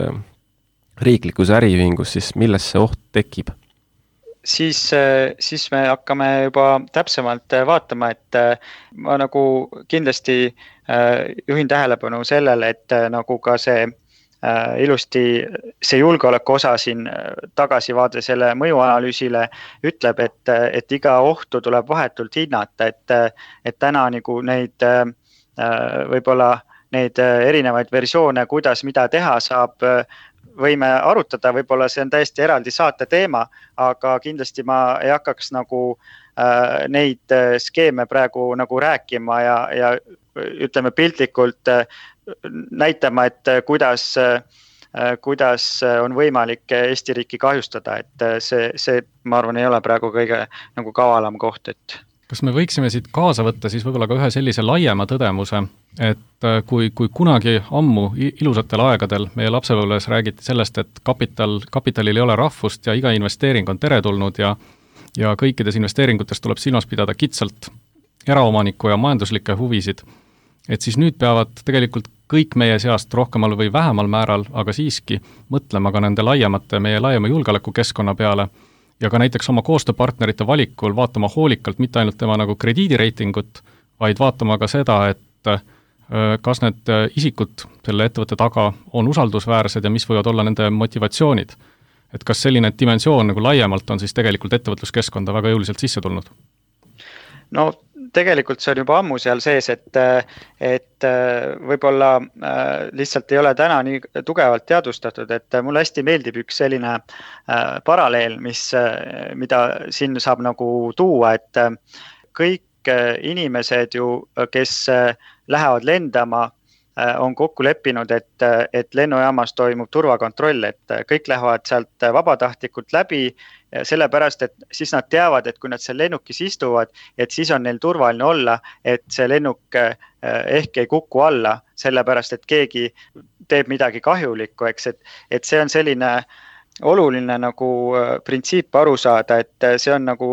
riiklikus äriühingus, siis milles see oht tekib? siis me hakkame juba täpsemalt vaatama, et ma nagu kindlasti juhin tähelepanu sellele, et nagu ka see ilusti see julgeoleku osa siin tagasivaade selle mõjuanalüüsile ütleb, et iga ohtu tuleb vahetult hinnata, et täna nagu neid võib-olla neid erinevaid versioone, kuidas mida teha saab, võime arutada, võib-olla see on täiesti eraldi saate teema, aga kindlasti ma ei hakkaks nagu neid skeeme praegu nagu rääkima ja ütleme piltlikult näitama, et kuidas on võimalik Eesti riiki kahjustada, et see ma arvan, ei ole praegu kõige nagu kavalam koht, et kas me võiksime siit kaasa võtta siis võib-olla ka ühe sellise laiema tõdemuse, et kui kunagi ammu ilusatel aegadel meie lapsepõlves räägiti sellest, et kapitalil ei ole rahvust ja iga investeering on teretulnud ja kõikides investeeringutes tuleb silmas pidada kitsalt eraomaniku ja majanduslikke huvisid, et siis nüüd peavad tegelikult kõik meie seast rohkemal või vähemal määral, aga siiski mõtlema ka nende meie laiema julgeolekukeskkonna peale ja ka näiteks oma koostööpartnerite valikul vaatama hoolikalt mitte ainult tema nagu krediidireitingut, vaid vaatama ka seda, et kas need isikud selle ettevõtte taga on usaldusväärsed ja mis võivad olla nende motivatsioonid. Et kas selline dimensioon nagu laiemalt on siis tegelikult ettevõtluskeskkonda väga jõuliselt sisse tulnud? No tegelikult see on juba ammu seal sees, et võib-olla lihtsalt ei ole täna nii tugevalt teadvustatud, et mulle hästi meeldib üks selline paralleel, mida siin saab nagu tuua, et kõik inimesed ju, kes lähevad lendama, on kokku leppinud, et lennujaamas toimub turvakontroll, et kõik lähevad sealt vabatahtlikult läbi, sellepärast, et siis nad teavad, et kui nad seal lennukis istuvad, et siis on neil turvaline olla, et see lennuk ehk ei kuku alla, sellepärast, et keegi teeb midagi kahjulikku, eks, et see on selline oluline nagu printsiip aru saada, et see on nagu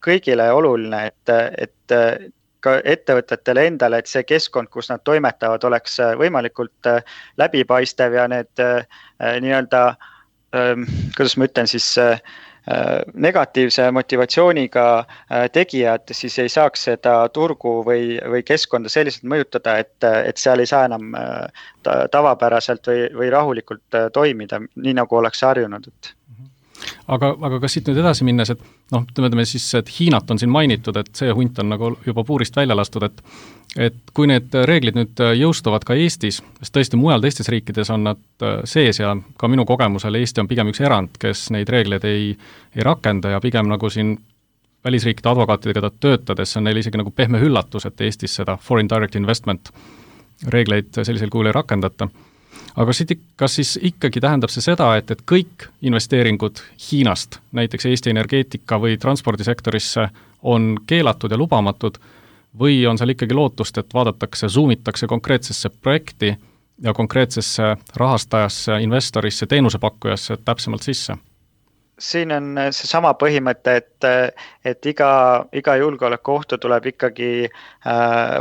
kõigile oluline, et ka ettevõtetele endale, et see keskkond, kus nad toimetavad, oleks võimalikult läbipaistev ja need nii-öelda, kuidas ma ütlen siis, negatiivse motivatsiooniga tegijad siis ei saaks seda turgu või keskkonda selliselt mõjutada, et seal ei saa enam tavapäraselt või rahulikult toimida, nii nagu oleks harjunud. Aga kas siit nüüd edasi minnes, et ütleme siis, et Hiinat on siin mainitud, et see hunt on nagu juba puurist välja lastud, et kui need reeglid nüüd jõustuvad ka Eestis, sest tõesti mujal teistes riikides on nad sees ja ka minu kogemusel Eesti on pigem üks erand, kes neid reegleid ei rakenda ja pigem nagu siin välisriikide advokaatidega töötades on neil isegi nagu pehme üllatus, et Eestis seda foreign direct investment reegleid sellisel kujul ei rakendata. Aga kas siis ikkagi tähendab see seda, et kõik investeeringud Hiinast, näiteks Eesti energeetika või transpordisektorisse on keelatud ja lubamatud või on seal ikkagi lootust, et vaadatakse, zoomitakse konkreetsesse projekti ja konkreetsesse rahastajasse, investorisse, teenusepakkujasse täpsemalt sisse? Siin on see sama põhimõte, et iga julgeolekuohtu tuleb ikkagi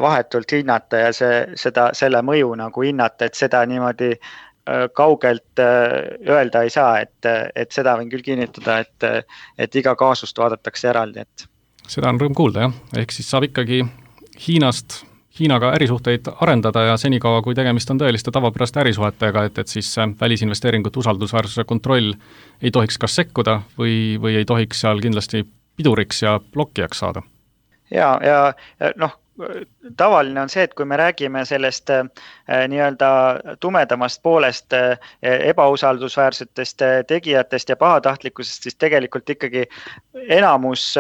vahetult hinnata ja selle mõju nagu hinnata, et seda niimoodi kaugelt öelda ei saa, et seda võin küll kinnitada, et iga kaasust vaadatakse eraldi. Seda on rõõm kuulda, jah. Ehk siis saab ikkagi Hiinaga ärisuhteid arendada ja senikaua, kui tegemist on tõeliste tavapäraste ärisuhetega, et siis välisinvesteeringute usaldusväärsuse kontroll ei tohiks kas sekkuda või ei tohiks seal kindlasti piduriks ja blokkijaks saada. Ja tavaline on see, et kui me räägime sellest nii-öelda tumedamast poolest ebausaldusväärsetest tegijatest ja pahatahtlikkusest, siis tegelikult ikkagi enamus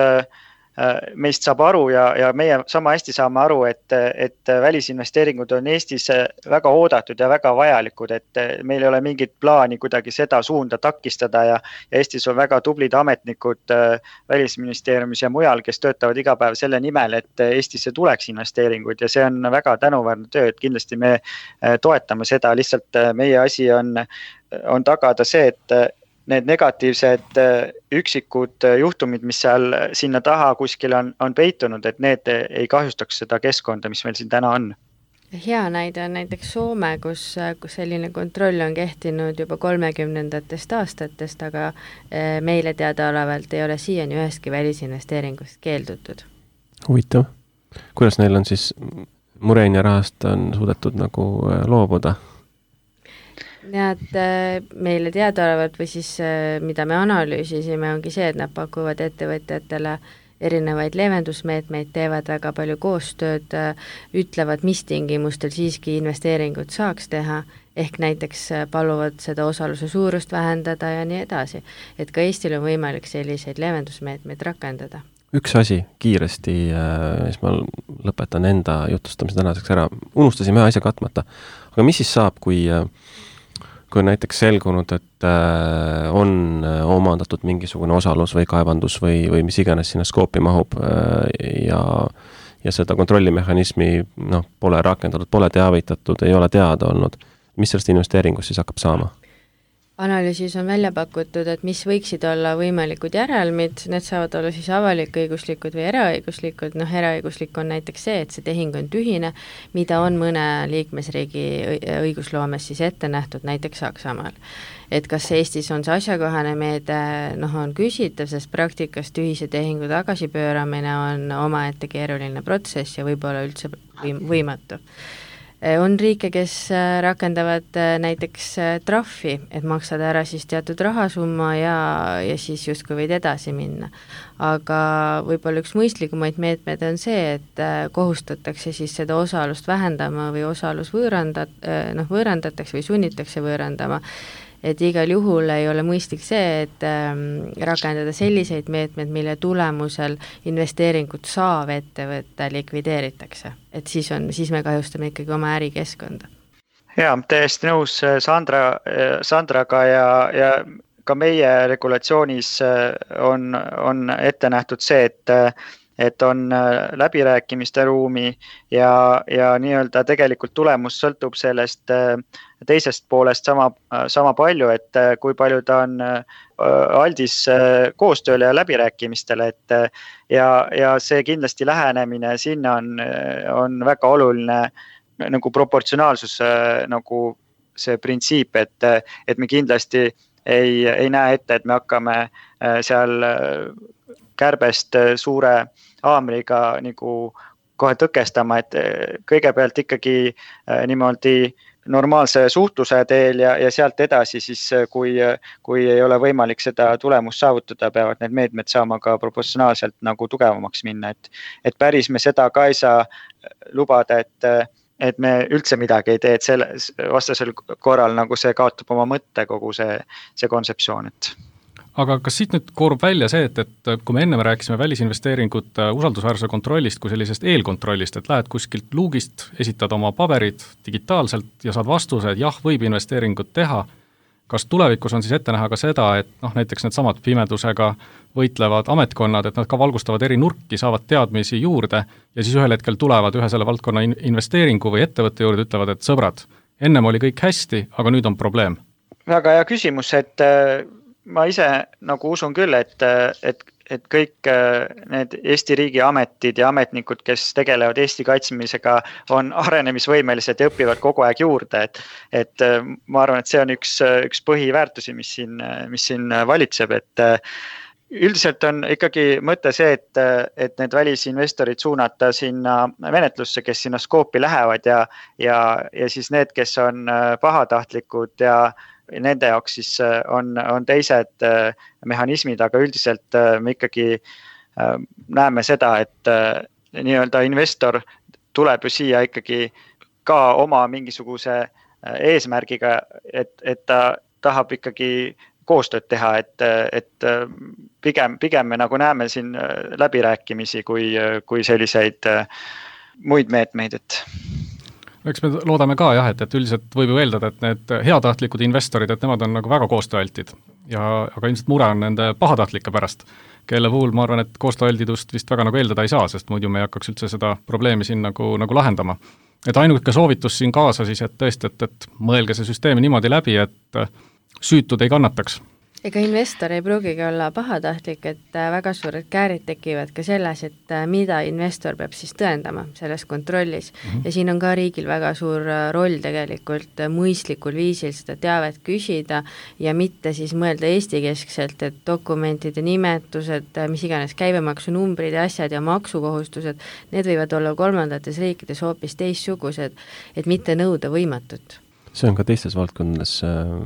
meist saab aru ja meie sama hästi saame aru, et välisinvesteeringud on Eestis väga oodatud ja väga vajalikud, et meil ei ole mingit plaani kuidagi seda suunda takistada ja Eestis on väga tublid ametnikud välisministeeriumis ja mujal, kes töötavad iga päev selle nimel, et Eestisse tuleks investeeringuid ja see on väga tänuväärne töö, et kindlasti me toetame seda, lihtsalt meie asi on tagada see, et need negatiivsed üksikud juhtumid, mis sinna taha kuskil on peitunud, et need ei kahjustaks seda keskkonda, mis meil siin täna on. hea näide on näiteks Soome, kus selline kontroll on kehtinud juba 30ndatest aastatest, aga meile teadaolevalt ei ole siiani ühestki välisinvesteeringust keeldutud. Huvitav. Kuidas neil on siis Mureenia rahast on suudetud nagu loobuda? Nad meile teadaolevalt või siis mida me analüüsisime, ongi see, et nad pakuvad ettevõtjatele erinevaid leevendusmeetmeid, teevad väga palju koostööd, ütlevad, mis tingimustel siiski investeeringut saaks teha, ehk näiteks paluvad seda osaluse suurust vähendada ja nii edasi. Et ka Eestil on võimalik selliseid leevendusmeetmeid rakendada. Üks asi kiiresti, siis ma lõpetan enda jutustamise tänaseks ära. Unustasime ühe asja katmata. Aga mis siis saab, kui on näiteks selgunud, et on omandatud mingisugune osalus või kaevandus või mis iganes sinna skoopi mahub ja seda kontrollimehhanismi pole rakendatud, pole teavitatud, ei ole teada olnud. Mis sellest investeeringust siis hakkab saama? Analüüsis on välja pakutud, et mis võiksid olla võimalikud järelmid, need saavad olla siis avalik-õiguslikud või eraõiguslikud, eraõiguslik on näiteks see, et see tehing on tühine, mida on mõne liikmesriigi õigusloomes siis ette nähtud, näiteks Saksamaal. Et kas Eestis on see asjakohane meede, on küsitav, sest praktikas tühise tehingu tagasipööramine on omaette keeruline protsess ja võib-olla üldse võimatu. On riike, kes rakendavad näiteks trahvi, et maksad ära siis teatud rahasumma ja siis justkui võid edasi minna. Aga võib-olla üks mõistlikumaid meetmed on see, et kohustatakse siis seda osalust vähendama või osalus võõrandatakse või sunnitakse võõrandama. Et igal juhul ei ole mõistlik see, et rakendada selliseid meetmed, mille tulemusel investeeringut saav ettevõtte likvideeritakse. Et siis me kahjustame ikkagi oma ärikeskkonda. Jaa, täiesti nõus Sandraga ja ka meie regulatsioonis on ette nähtud see, et on läbirääkimiste ruumi ja nii-öelda tegelikult tulemus sõltub sellest teisest poolest sama palju, et kui palju ta on aldis koostööle ja läbirääkimistele, ja see kindlasti lähenemine sinna on väga oluline nagu proportsionaalsus, nagu see printsiip, et me kindlasti ei näe ette, et me hakkame seal kärbest suure haamriga nagu kohe tõkestama, et kõigepealt ikkagi niimoodi normaalse suhtluse teel ja sealt edasi siis, kui ei ole võimalik seda tulemust saavutada, peavad need meetmed saama ka proportsionaalselt nagu tugevamaks minna, et päris me seda ka ei saa lubada, et me üldse midagi ei tee, et vastasel korral nagu see kaotab oma mõtte kogu see kontseptsioon, et aga kas siit nüüd koorub välja see, et kui me enne rääkisime välisinvesteeringute usaldusväärsuse kontrollist kui sellisest eelkontrollist, et lähed kuskilt luugist, esitad oma paberid digitaalselt ja saad vastuse, et jah, võib investeeringut teha, kas tulevikus on siis ette näha ka seda, et näiteks need samad pimedusega võitlevad ametkonnad, et nad ka valgustavad eri nurki, saavad teadmisi juurde ja siis ühel hetkel tulevad ühe selle valdkonna investeeringu või ettevõtte juurde, ütlevad, et sõbrad, ennem oli kõik hästi, aga nüüd on probleem? Väga hea küsimus, et ma ise nagu usun küll, et kõik need Eesti riigi ametid ja ametnikud, kes tegelevad Eesti kaitsmisega, on arenemisvõimelised ja õpivad kogu aeg juurde, et ma arvan, et see on üks põhiväärtusi, mis siin valitseb, et üldiselt on ikkagi mõte see, et need välisinvestorid suunata sinna menetlusse, kes sinna skoopi lähevad ja siis need, kes on pahatahtlikud ja nende jaoks siis on teised mehhanismid, aga üldiselt me ikkagi näeme seda, et nii-öelda investor tuleb ju siia ikkagi ka oma mingisuguse eesmärgiga, et ta tahab ikkagi koostööd teha, et pigem me nagu näeme siin läbirääkimisi kui selliseid muid meetmeid, et eks me loodame ka jah, et üldiselt võib ju eeldada, et need heatahtlikud investorid, et nemad on nagu väga koostööaltid aga ilmselt mure on nende pahatahtlike pärast, kelle puhul ma arvan, et koostööaldidust vist väga nagu eeldada ei saa, sest muidu me ei hakkaks üldse seda probleemi siin nagu lahendama. Et ainuke soovitus siin kaasa siis, et tõesti, et mõelge see süsteemi niimoodi läbi, et süütud ei kannataks. Ega investor ei pruugigi olla pahatahtlik, et väga suured käärid tekivad ka selles, et mida investor peab siis tõendama selles kontrollis. Ja siin on ka riigil väga suur roll tegelikult mõistlikul viisil seda teavet küsida ja mitte siis mõelda Eesti-keskselt, et dokumentide nimetused, mis iganes käibemaksunumbrid ja asjad ja maksukohustused, need võivad olla kolmandates riikides hoopis teistsugused, et mitte nõuda võimatut. See on ka teistes valdkondades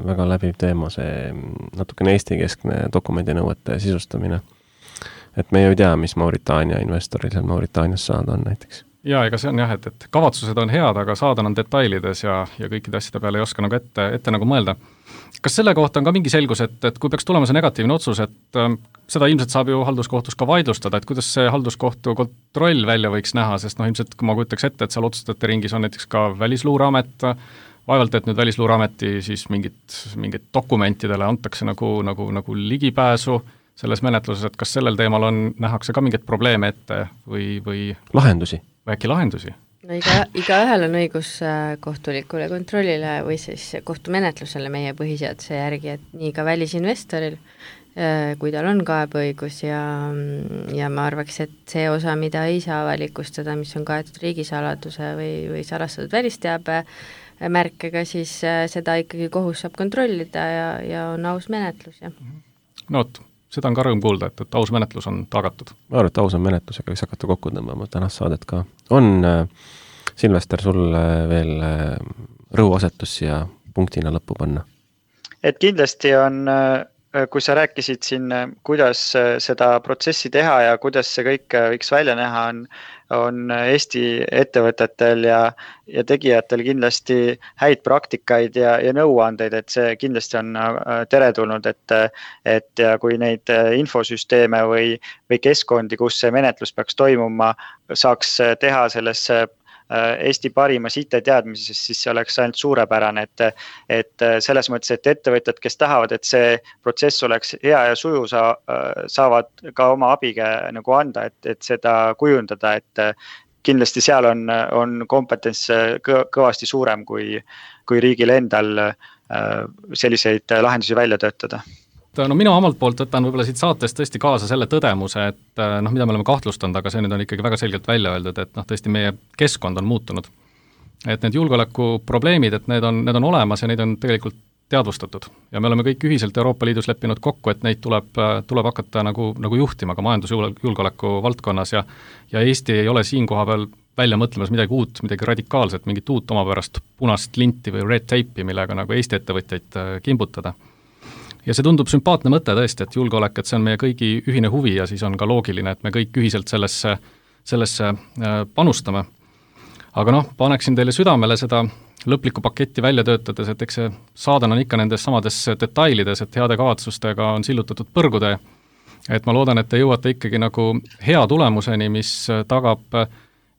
väga läbiv teema, see natukene Eesti-keskne dokumendinõuete sisustamine. Et me ju ei tea, mis Mauritaania investoril seal Mauritaanias saada on näiteks. Jaa, ega see on jah, et kavatsused on head, aga saada on detailides ja kõikide asjade peale ei oska nagu ette nagu mõelda. Kas selle kohta on ka mingi selgus, et kui peaks tulema see negatiivne otsus, et seda ilmselt saab ju halduskohtus ka vaidlustada, et kuidas see halduskohtu kontroll välja võiks näha, sest ilmselt kui ma kujutaks ette, et seal otsustajate ringis on näiteks ka Välisluureamet, vaevalt, et nüüd Välisluureameti siis mingit dokumentidele antakse nagu ligipääsu selles menetluses, et kas sellel teemal nähakse ka mingeid probleeme ette või lahendusi? Või äkki lahendusi? No igaühel on õigus kohtulikule kontrollile või siis kohtumenetlusele meie põhiseaduse järgi, et nii ka välisinvestoril, kui tal on kaebeõigus ja ma arvaks, et see osa, mida ei saa avalikustada, mis on kaetud riigisaladuse või salastatud välisteabe märkega, siis seda ikkagi kohus saab kontrollida ja on aus menetlus. Ja. No vot, seda on ka rõõm kuulda, et aus menetlus on tagatud. Ma arvan, et aus on menetlus, aga võiks hakata kokku tõmbama tänast saadet ka. On, Silvester, sul veel rõhuasetus ja punktina lõppu panna? Et kindlasti on, kui sa rääkisid siin, kuidas seda protsessi teha ja kuidas see kõik võiks välja näha, on Eesti ettevõtetel ja tegijatel kindlasti häid praktikaid ja nõuandeid, et see kindlasti on teretulnud, et ja kui neid infosüsteeme või keskkondi, kus see menetlus peaks toimuma, saaks teha sellesse Eesti parimas IT-teadmises, siis see oleks ainult suurepärane, et selles mõttes, et ettevõtjad, kes tahavad, et see protsess oleks hea ja suju, saavad ka oma abiga nagu anda, et seda kujundada, et kindlasti seal on kompetents kõvasti suurem kui riigil endal selliseid lahendusi välja töötada. No mina omalt poolt võtan võib-olla siit saatest tõesti kaasa selle tõdemuse, et mida me oleme kahtlustanud, aga see nüüd on ikkagi väga selgelt välja öeldud, et tõesti meie keskkond on muutunud. Et need julgeolekuprobleemid, et need on olemas ja neid on tegelikult teadvustatud. Ja me oleme kõik ühiselt Euroopa Liidus leppinud kokku, et neid tuleb hakata nagu juhtima ka majandusjulgeoleku valdkonnas ja Eesti ei ole siin koha peal välja mõtlemas midagi uut, midagi radikaalset, mingit uut omapärast punast linti või red tape'i, millega nagu Eesti ettevõtjaid kimbutada. Ja see tundub sümpaatne mõte tõesti, et julgeolek, et see on meie kõigi ühine huvi ja siis on ka loogiline, et me kõik ühiselt sellesse panustame. Aga paneksin teile südamele seda lõplikku paketti välja töötades, et eks see saadan on ikka nendes samades detailides, et heade kavatsustega on sillutatud põrgutee. Et ma loodan, et te jõuate ikkagi nagu hea tulemuseni, mis tagab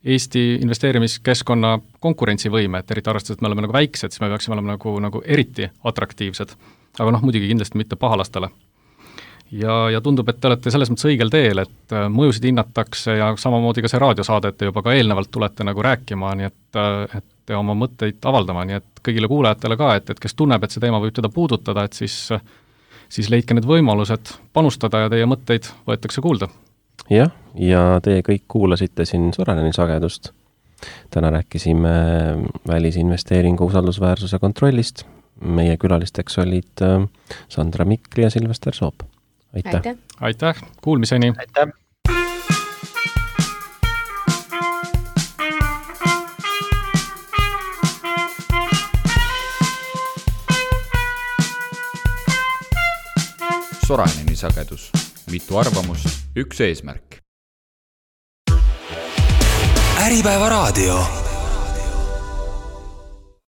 Eesti investeerimiskeskkonna konkurentsivõime, et eriti arvestades, et me oleme nagu väiksed, siis me peaksime olema nagu eriti atraktiivsed. Aga muidugi kindlasti mitte pahalastele. Ja tundub, et te olete selles mõttes õigel teel, et mõjusid hinnatakse ja samamoodi ka see raadiosaade, et te juba ka eelnevalt tulete nagu rääkima, nii et te oma mõtteid avaldama, nii et kõigile kuulajatele ka, et kes tunneb, et see teema võib teda puudutada, et siis leidke need võimalused panustada ja teie mõtteid võetakse kuulda. Jah, ja teie kõik kuulasite siin Soraineni sagedust. Täna rääkisime välisinvesteeringu usaldusväärsuse kontrollist. Meie külalisteks olid Sandra Mikli ja Silvester Soop. Aitäh! Aitäh! Kuulmiseni! Aitäh! Soraineni sagedus. Mitu arvamust, üks eesmärk. Äripäeva raadio.